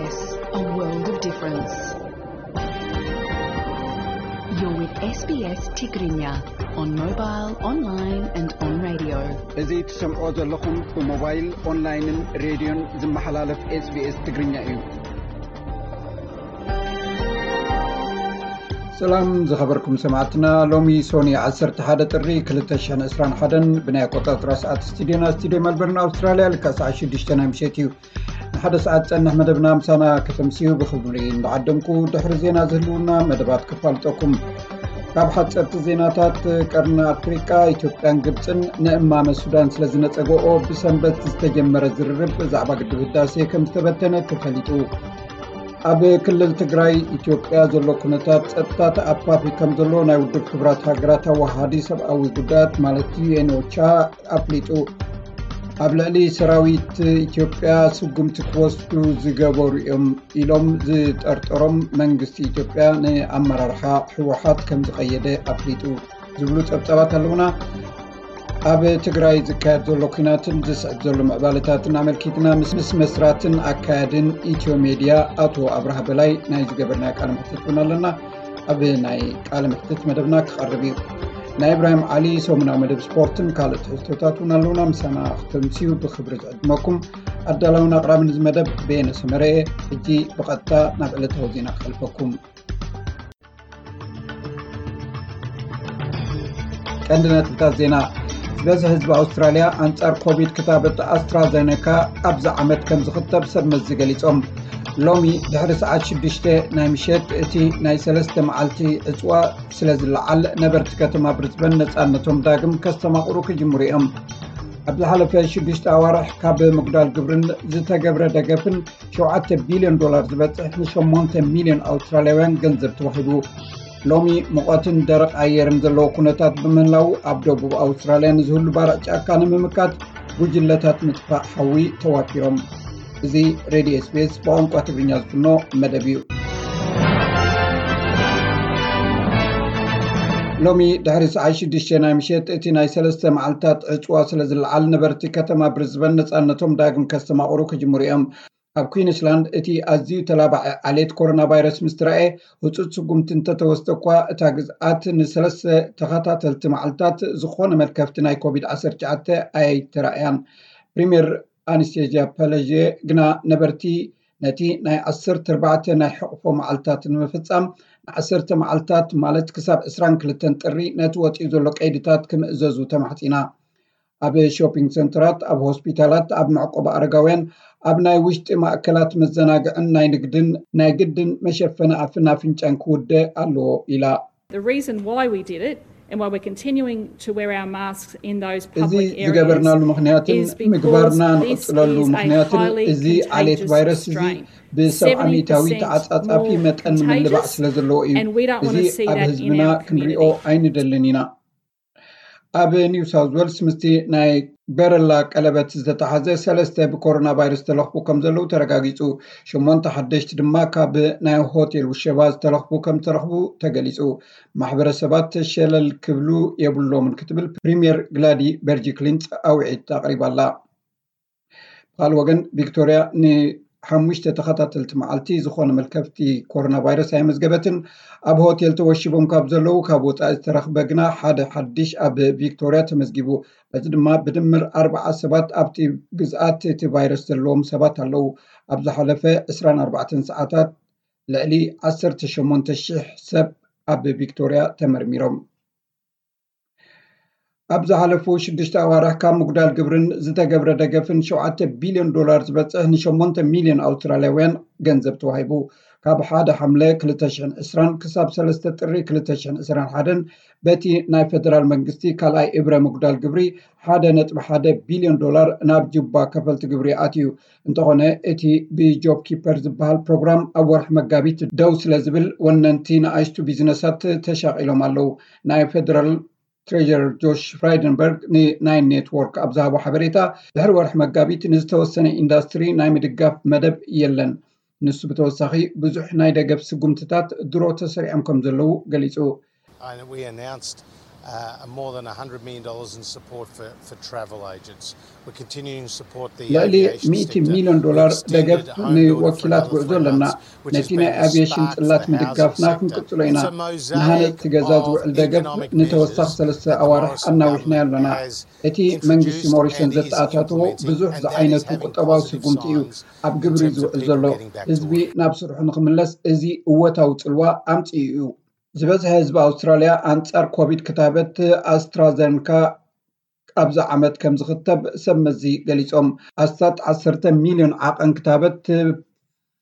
A world of difference. You're with S B S Tigrinya on mobile, online and on radio. እዚ ትሰምዖ ዘለኹም ብሞባይል፣ ኦንላይንን ሬድዮን ዝመሓላለፍ S B S ትግርኛ እዩ። ሰላም ዝኸበርኩም ሰማዕትና፣ ሎሚ ሶኒ ዓሰርተ ሓደ ጥሪ ክልተ ሽሕን ዕስራን ሓደን ብናይ ኣቆጻጽራ ሰዓት ስቱዲዮና፣ ስቱዲዮ መልበርን ኣውስትራልያ፣ ልክዕ ሰዓት ሽዱሽተ ናይ ምሸት እዩ። ንሓደ ሰዓት ጸንሕ መደብና ምሳና ከተምስዩ ብኽብሪ እንዳዓደምኩ፣ ድሕሪ ዜና ዝህልውና መደባት ክፋልጠኩም። ካብ ሓጸርቲ ዜናታት፣ ቀርኒ ኣፍሪቃ፣ ኢትዮጵያን ግብጽን ንእማመ ሱዳን ስለ ዝነጸገኦ ብሰንበት ዝተጀመረ ዝርርብ ብዛዕባ ግድብ ህዳሴ ከም ዝተበተነ ተፈሊጡ። ኣብ ክልል ትግራይ ኢትዮጵያ ዘሎ ኩነታት ጸጥታ ተኣፋፊ ከም ዘሎ ናይ ውድብ ሕቡራት ሃገራት ኣዋሃዲ ሰብኣዊ ጉዳያት ማለት ዩ ኤን ኦቻ ኣፍሊጡ። ኣብ ልዕሊ ሰራዊት ኢትዮጵያ ስጉምቲ ክወስዱ ዝገበሩ እዮም ኢሎም ዝጠርጠሮም መንግስቲ ኢትዮጵያ ንኣመራርሓ ህወሓት ከም ዝቐየደ ኣፍሊጡ ዝብሉ ጸብጻባት ኣለውና። ኣብ ትግራይ ዝካየድ ዘሎ ኩናትን ዝስዕብ ዘሎ ምዕባለታትን ኣመልኪትና ምስ፣ ምስ መስራትን ኣካያድን ኢትዮ ሜድያ ኣቶ ኣብርሃ በላይ ናይ ዝገበርናዮ ቃለ መሕትት እውን ኣለና። ኣብ ናይ ቃለ መሕትት መደብና ክቐርብ እዩ። ናይ ኢብራሂም ዓሊ ሰሙናዊ መደብ ስፖርትን ካልእ ትሕዝቶታት እውን ኣለውና። ምሳና ክተምስዩ ብኽብሪ ዝዕድመኩም ኣዳላውን ኣቕራብን እዚ መደብ በየነ ሰመረ እየ። ሕጂ ብቐጥታ ናብ ዕለታዊ ዜና ክሓልፈኩም። ቀንዲ ነጥብታት ዜና። ዝበዝሕ ህዝቢ ኣውስትራልያ ኣንጻር ኮቪድ ክታበት ኣስትራዘኔካ ኣብዚ ዓመት ከም ዝኽተብ ሰብ መዚ ገሊጾም። ሎሚ ድሕሪ ሰዓት ሽዱሽተ ናይ ምሸት እቲ ናይ ሰለስተ መዓልቲ ዕጽዋ ስለ ዝለዓል፣ ነበርቲ ከተማ ብሪዝበን ነጻነቶም ዳግም ከስተማቕሩ ክጅምሩ እዮም። ኣብ ዝሓለፈ ሽዱሽተ ኣዋርሕ ካብ ምጉዳል ግብርን ዝተገብረ ደገፍን ሸውዓተ ቢልዮን ዶላር ዝበጽሕ ንሸሞንተ ሚልዮን ኣውስትራልያውያን ገንዘብ ተዋሂቡ። ሎሚ ሙቐትን ደረቕ ኣየርን ዘለዎ ኩነታት ብምህላው፣ ኣብ ደቡብ ኣውስትራልያ ንዝህሉ ባርዕ ጫካ ንምምካት ጉጅለታት ምጥፋእ ሓዊ ተዋፊሮም። እዚ ሬድዮ S B S ብቋንቋ ትግርኛ ዝፍኖ መደብ እዩ። ሎሚ ድሕሪ ሰዓት ሽዱሽተ ናይ ምሸት እቲ ናይ ሰለስተ መዓልታት ዕጽዋ ስለ ዝለዓል፣ ነበርቲ ከተማ ብሪዝበን ነጻነቶም ዳግም ከስተማቕሩ ክጅምሩ እዮም። ኣብ ኩዊንስላንድ እቲ ኣዝዩ ተላባዒ ዓሌት ኮሮና ቫይረስ ምስ ተራእየ፣ ህጹጽ ስጉምቲ እንተተወስደ እኳ፣ እታ ግዝኣት ንሰለስተ ተኸታተልቲ መዓልታት ዝኾነ መልከፍቲ ናይ ኮቪድ ዓሰርተ ትሽዓተ ኣይተራእያን። ፕሪምየር ኣንስቴዝያ ፐለዥ ግና ነበርቲ ነቲ ናይ ዓሰርተ ኣርባዕተ ናይ ሕቕፎ መዓልታት ንምፍጻም፣ ንዓሰርተ መዓልታት ማለት ክሳብ ዕስራን ክልተን ጥሪ ነቲ ወጺኡ ዘሎ ቀይድታት ክምእዘዙ ተማሕጺና። ኣብ ሾፒንግ ሰንተራት፣ ኣብ ሆስፒታላት፣ ኣብ መዕቆቢ ኣረጋውያን፣ ኣብ ናይ ውሽጢ ማእከላት መዘናግዕን ናይ ንግድን ናይ ግድን መሸፈኒ ኣፍን ኣፍንጫን ክውደ ኣለዎ ኢላ። The reason why we did it and why we're continuing to wear our masks in those እዚ public areas ዝገበርናሉ ምኽንያትን is because ምግባርና this ንቕጽለሉ is a ምኽንያትን highly እዚ ዓሌት contagious ቫይረስ እዚ strain. ብሰብዓ ሚእታዊት Seventy percent ተዓጻጻፊ more መጠን ምልባዕ contagious, ስለ ዘለዎ እዩ። And we don't want እዚ to see ኣብ that in ህዝብና our ክንሪኦ community. ኣይንደልን ኢና። ኣብ ኒው ሳውዝ ዌልስ ምስቲ ናይ በረላ ቀለበት ዝተተሓዘ ሰለስተ ብኮሮና ቫይረስ ተለኽፉ ከም ዘለዉ ተረጋጊጹ። ሸሞንተ ሓደሽቲ ድማ ካብ ናይ ሆቴል ውሸባ ዝተለኽፉ ከም ዝተረኽቡ ተገሊጹ። ማሕበረሰባት ሸለል ክብሉ የብሎምን ክትብል ፕሪምየር ግላዲ በርጂክሊንስ ኣውዒት ኣቕሪባ ኣላ። ብኻልእ ወገን፣ ቪክቶርያ ንሓሙሽተ ተኸታተልቲ መዓልቲ ዝኾነ መልከፍቲ ኮሮና ቫይረስ ኣየመዝገበትን። ኣብ ሆቴል ተወሺቦም ካብ ዘለዉ ካብ ወጻኢ ዝተረኽበ ግና ሓደ ሓድሽ ኣብ ቪክቶርያ ተመዝጊቡ። በዚ ድማ ብድምር ኣርብዓ ሰባት ኣብቲ ግዝኣት እቲ ቫይረስ ዘለዎም ሰባት ኣለዉ። ኣብ ዝሓለፈ ዕስራን ኣርባዕተን ሰዓታት ልዕሊ ዓሰርተ ሸሞንተ ሽሕ ሰብ ኣብ ቪክቶርያ ተመርሚሮም። ኣብ ዝሓለፉ ሽዱሽተ ኣዋርሕ ካብ ምጉዳል ግብርን ዝተገብረ ደገፍን ሸውዓተ ቢልዮን ዶላር ዝበጽሕ ንሸሞንተ ሚልዮን ኣውስትራልያውያን ገንዘብ ተዋሂቡ። ካብ ሓደ ሓምለ ክልተ ሽሕን ዕስራን ክሳብ ሰለስተ ጥሪ ክልተ ሽሕን ዕስራን ሓደን በቲ ናይ ፈደራል መንግስቲ ካልኣይ እብረ ምጉዳል ግብሪ ሓደ ነጥቢ ሓደ ቢልዮን ዶላር ናብ ጁባ ከፈልቲ ግብሪ ኣትዩ። እንተኾነ እቲ ብጆብ ኪፐር ዝበሃል ፕሮግራም ኣብ ወርሒ መጋቢት ደው ስለ ዝብል ወነንቲ ንኣሽቱ ቢዝነሳት ተሻቒሎም ኣለዉ። ናይ ፈደራል ትሬጀረር ጆሽ ፍራይደንበርግ ንናይን ኔትወርክ ኣብ ዝሃቦ ሓበሬታ፣ ድሕሪ ወርሒ መጋቢት ንዝተወሰነ ኢንዳስትሪ ናይ ምድጋፍ መደብ የለን። ንሱ ብተወሳኺ ብዙሕ ናይ ደገፍ ስጉምትታት ድሮ ተሰሪዖም ከም ዘለዉ ገሊጹ። And we announced uh, more than one hundred million dollars in support for, for travel agents. We're continuing to support the ልዕሊ ሚእቲ ሚሊዮን ዶላር ደገፍ ንወኪላት ጉዕዞ ኣለና። ነቲ ናይ ኣቪየሽን ጽላት ምድጋፍና ክንቅጽሎ ኢና። ንሃነጽቲ ገዛ ዝውዕል ደገፍ ንተወሳኺ ሰለስተ ኣዋርሕ ኣናዊሕናዮ ኣለና። እቲ መንግስቲ ሞሪሰን ዘተኣታተዎ ብዙሕ ዝዓይነቱ ቁጠባዊ ስጉምቲ እዩ ኣብ ግብሪ ዝውዕል ዘሎ። ህዝቢ ናብ ስርሑ ንክምለስ እዚ እወታዊ ጽልዋ ኣምጽኡ እዩ። ዝበዝሐ ህዝቢ ኣውስትራልያ ኣንጻር ኮቪድ ክታበት ኣስትራዘንካ ኣብዚ ዓመት ከም ዝኽተብ ሰብ መዚ ገሊጾም። ኣስታት ዓሰርተ ሚልዮን ዓቐን ክታበት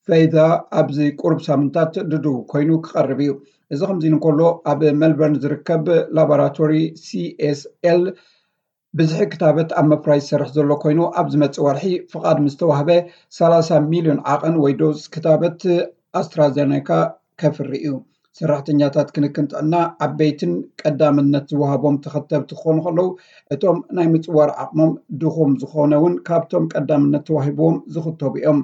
ፈይዛ ኣብዚ ቁሩብ ሳምንታት ድዱ ኮይኑ ክቐርብ እዩ። እዚ ከምዚ እንከሎ ኣብ ሜልበርን ዝርከብ ላቦራቶሪ ሲኤስኤል ብዝሒ ክታበት ኣብ መፍራይ ዝሰርሕ ዘሎ ኮይኑ ኣብ ዝመጽእ ወርሒ ፍቓድ ምስ ተዋህበ ሰላሳ ሚልዮን ዓቐን ወይ ዶዝ ክታበት ኣስትራዘኔካ ከፍሪ እዩ። ሰራሕተኛታት ክንክን ጥዕና ዓበይትን ቀዳምነት ዝወሃቦም ተኸተብቲ ክኾኑ ከለዉ እቶም ናይ ምጽዋር ዓቕሞም ድኹም ዝኾነ እውን ካብቶም ቀዳምነት ተዋሂብዎም ዝኽተቡ እዮም።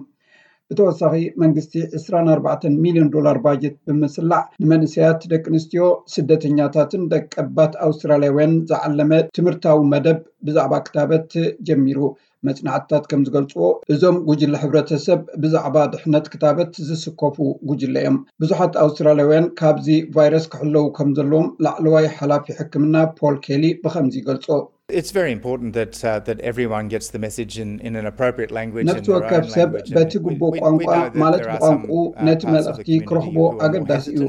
ብተወሳኺ መንግስቲ ዕስራን ኣርባዕተን ሚልዮን ዶላር ባጀት ብምስላዕ ንመንእሰያት፣ ደቂ ኣንስትዮ፣ ስደተኛታትን ደቀባት ኣውስትራልያውያን ዝዓለመ ትምህርታዊ መደብ ብዛዕባ ክታበት ጀሚሩ። መጽናዕትታት ከም ዝገልጽዎ እዞም ጉጅለ ሕብረተሰብ ብዛዕባ ድሕነት ክታበት ዝስከፉ ጉጅለ እዮም። ብዙሓት ኣውስትራልያውያን ካብዚ ቫይረስ ክሕለዉ ከም ዘለዎም ላዕለዋይ ሓላፊ ሕክምና ፖል ኬሊ ብኸምዚ ይገልጾ። It's very important that uh, that everyone gets the message in, in an appropriate language. ነፍሲ ወከፍ ሰብ በቲ ግቡእ ቋንቋ ማለት ብቋንቋኡ ነቲ መልእኽቲ ክረኽቦ ኣገዳሲ እዩ።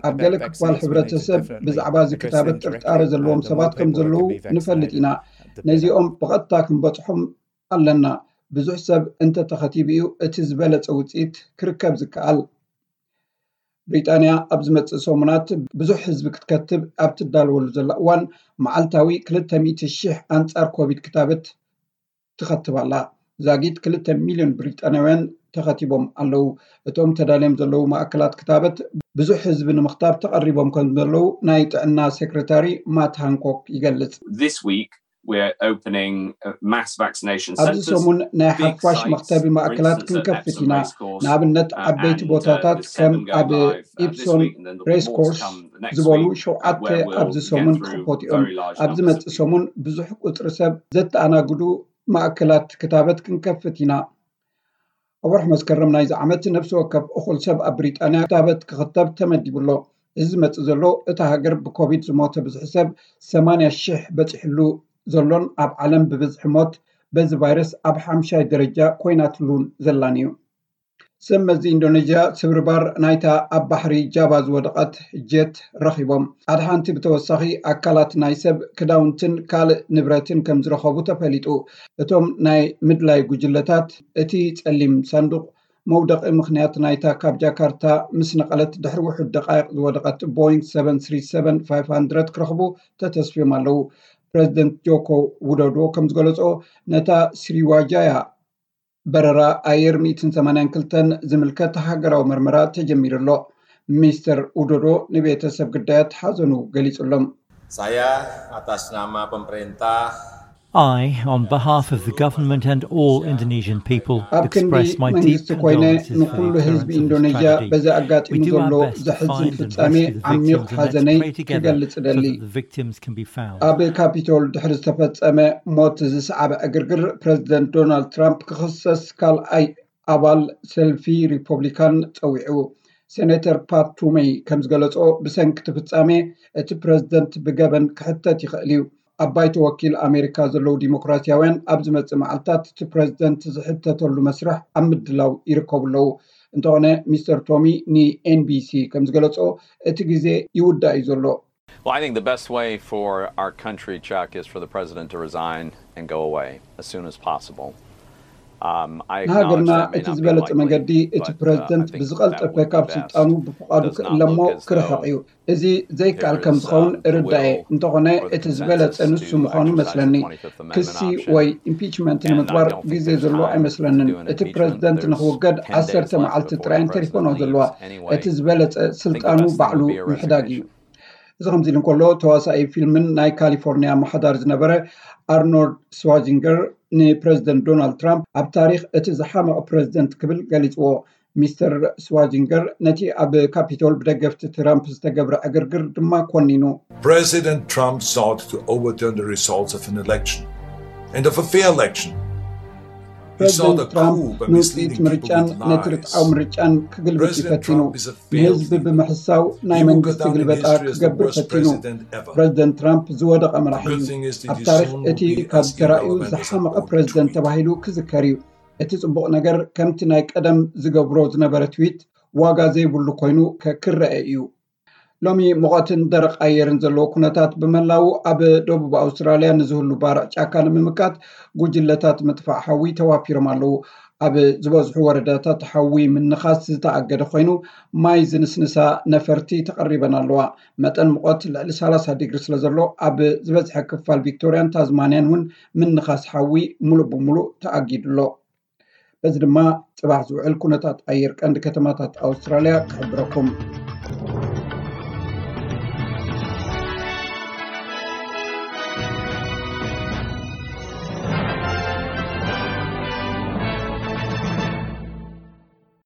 ኣብ ገለ ክፋል ሕብረተሰብ ብዛዕባ እዚ ክታበት ጥርጣረ ዘለዎም ሰባት ከም ዘለዉ ንፈልጥ ኢና። ነዚኦም ብቐጥታ ክንበጽሖም ኣለና። ብዙሕ ሰብ እንተተኸቲቡ እዩ እቲ ዝበለጸ ውጽኢት ክርከብ ዝከኣል። ብሪጣንያ ኣብ ዝመጽእ ሰሙናት ብዙሕ ህዝቢ ክትከትብ ኣብ ትዳለወሉ ዘላ እዋን መዓልታዊ ክልተ ሚእቲ ሺሕ ኣንጻር ኮቪድ ክታበት ትኸትብ ኣላ። ዛጊት ክልተ ሚልዮን ብሪጣንያውያን ተኸቲቦም ኣለዉ። እቶም ተዳልዮም ዘለዉ ማእከላት ክታበት ብዙሕ ህዝቢ ንምኽታብ ተቐሪቦም ከም ዘለዉ ናይ ጥዕና ሴክሬታሪ ማት ሃንኮክ ይገልጽ። This week we're opening uh, mass vaccination ኣብዚ centres. ሰሙን ናይ Big ሓፋሽ sites, መኽተቢ for ማእከላት instance, at ክንከፍት Epsom ኢና። Racecourse, ንኣብነት uh, ዓበይቲ and, uh, ቦታታት the ከም seven go ኣብ live, uh, this ኢፕሶን week, and then the ሬስ reports ኮርስ come, uh, where ዝበሉ we'll, uh, ሸውዓተ where we'll ኣብዚ get ሰሙን through ክኸፍት a እዮም። very large ኣብ numbers ዝመጽእ of people. ሰሙን ብዙሕ ቁጽሪ ሰብ ዘተኣናግዱ ማእከላት ክታበት ክንከፍት ኢና። ኣብ ወርሒ መስከረም ናይዚ ዓመት ነፍሲ ወከፍ እኹል ሰብ ኣብ ብሪጣንያ ክታበት ክኽተብ ተመዲቡ ኣሎ። እዚ ዝመጽእ ዘሎ እታ ሃገር ብኮቪድ ዝሞተ ብዝሒ ሰብ ሰማንያ ሺሕ በጺሕሉ ዘሎን ኣብ ዓለም ብብዝሒ ሞት በዚ ቫይረስ ኣብ ሓምሻይ ደረጃ ኮይናትሉን ዘላን እዩ። ሰብ መዚ ኢንዶኔዥያ ስብርባር ናይታ ኣብ ባሕሪ ጃቫ ዝወደቐት ጀት ረኺቦም። ኣድሓንቲ ብተወሳኺ ኣካላት ናይ ሰብ ክዳውንትን ካልእ ንብረትን ከም ዝረኸቡ ተፈሊጡ። እቶም ናይ ምድላይ ጉጅለታት እቲ ጸሊም ሳንዱቕ መውደቒ ምኽንያት ናይታ ካብ ጃካርታ ምስ ነቐለት ድሕሪ ውሑድ ደቃይቕ ዝወደቐት ቦይንግ ሰቨን ስሪ ሰቨን ፋይቭ ሃንድረድ ክረኽቡ ተተስፍዮም ኣለዉ። ፕረዚደንት ጆኮ ውዶዶ ከም ዝገለጾ ነታ ስሪዋጃያ በረራ ኣየር ሚእትን ሰማንያን ክልተን ዝምልከት ሃገራዊ መርመራ ተጀሚሩ ኣሎ። ሚስተር ውዶዶ ንቤተሰብ ግዳያት ሓዘኑ ገሊጹሎም። Saya atas nama pemerintah I, on behalf of the government and all Indonesian people, ኣብ ክንዲ express my deep መንግስቲ ኮይነ condolences for ንኩሉ the ህዝቢ occurrence of this ኢንዶኔዥያ tragedy. በዚ ኣጋጢሙ We do our ዘሎ best to ዘሕዝን find and ፍጻሜ rescue the ዓሚቕ victims and let's ሓዘነይ pray together ክገልጽ so እደሊ። that the victims can be found. ኣብ ካፒቶል ድሕሪ ዝተፈጸመ ሞት ዝሰዓበ ዕግርግር ፕረዚደንት ዶናልድ ትራምፕ ክኽሰስ ካልኣይ ኣባል ሰልፊ ሪፖብሊካን ጸዊዑ። ሴኔተር ፓት ቱሜይ ከም ዝገለጾ ብሰንኪ እቲ ፍጻሜ እቲ ፕረዚደንት ብገበን ክሕተት ይኽእል እዩ። ኣብ ባይቶ ወኪል ኣሜሪካ ዘለዉ ዲሞክራሲያውያን ኣብ ዝመጽእ መዓልታት እቲ ፕረዚደንት ዝሕተተሉ መስርሕ ኣብ ምድላው ይርከቡ ኣለዉ። እንተኾነ ሚስተር ቶሚ ንኤንቢሲ ከም ዝገለጾ እቲ ግዜ ይውዳእ እዩ ዘሎ። Well, I think the best way for our country, Chuck, is for the president to resign and go away as soon as possible. Um, I acknowledge ንሃገርና that may እቲ not be ዝበለጸ likely, መገዲ እቲ but uh, I ፕረዚደንት think that ብዝቐልጠፈ would be ካብ best. ስልጣኑ ብፍቓዱ Does not ክእለሞ look as ክርሕቕ though እዩ። እዚ ዘይከኣል there ከም is ዝኸውን uh, the እርዳእ እየ። will እንተኾነ or the እቲ ዝበለጸ consensus ንሱ to ምዃኑ exercise the መስለኒ። twenty-fifth Amendment ክሲ option. ወይ ኢምፒችመንት And I ንምግባር don't think ግዜ there's ዘሎ time ኣይመስለንን። to do an እቲ impeachment. ፕረዚደንት There's ንክውገድ ten days ዓሰርተ left መዓልቲ before ጥራይ the እንተሪፎኖ president ዘለዋ። leaves anyway. እቲ ዝበለጸ I think the ስልጣኑ best thing ባዕሉ would be a ምሕዳግ እዩ። resignation. እዚ ከምዚ ኢሉ እንከሎ ተዋሳኢ ፊልምን ናይ ካሊፎርኒያ ኣመሓዳሪ ዝነበረ ኣርኖልድ ስዋዚንገር ንፕረዚደንት ዶናልድ ትራምፕ ኣብ ታሪኽ እቲ ዝሓመቐ ፕረዚደንት ክብል ገሊፅዎ። ሚስተር ስዋዚንገር ነቲ ኣብ ካፒቶል ብደገፍቲ ትራምፕ ዝተገብረ ዕግርግር ድማ ኮኒኑ። President Trump sought to overturn the results of an election. And of a fair election. He sought ፕሬዚደንት a ትራምፕ coup by ንውፅኢት misleading people ምርጫን with ነቲ lies. ርትዓዊ ምርጫን ክግልብጥ እዩ President ፈቲኑ። Trump is a failed ንህዝቢ leader. ብምሕሳው ናይ He will go መንግስቲ down in ግልበጣ history as the ክገብር worst ፈቲኑ። President ever. ፕሬዚደንት ትራምፕ ዝወደቐ መራሒ Good እዩ። thing is that ኣብ he ታሪክ soon እቲ will be ካብ as ተራእዩ irrelevant as ዝሓመቐ an old ፕሬዚደንት tweet. ተባሂሉ ክዝከር እዩ። እቲ ፅቡቕ ነገር ከምቲ ናይ ቀደም ዝገብሮ ዝነበረ ትዊት ዋጋ ዘይብሉ ኮይኑ ከ- ክረአ እዩ። ሎሚ ሙቐትን ደረቕ ኣየርን ዘለዎ ኩነታት ብመላው ኣብ ደቡብ ኣውስትራልያ ንዝህሉ ባርዕ ጫካ ንምምካት ጉጅለታት ምጥፋእ ሓዊ ተዋፊሮም ኣለዉ። ኣብ ዝበዝሑ ወረዳታት ሓዊ ምንኻስ ዝተኣገደ ኮይኑ ማይ ዝንስንሳ ነፈርቲ ተቐሪበን ኣለዋ። መጠን ሙቐት ልዕሊ ሰላሳ ዲግሪ ስለ ዘሎ ኣብ ዝበዝሐ ክፋል ቪክቶርያን ታዝማንያን እውን ምንኻስ ሓዊ ሙሉእ ብሙሉእ ተኣጊዱ ኣሎ። በዚ ድማ ፅባሕ ዝውዕል ኩነታት ኣየር ቀንዲ ከተማታት ኣውስትራልያ ክሕብረኩም።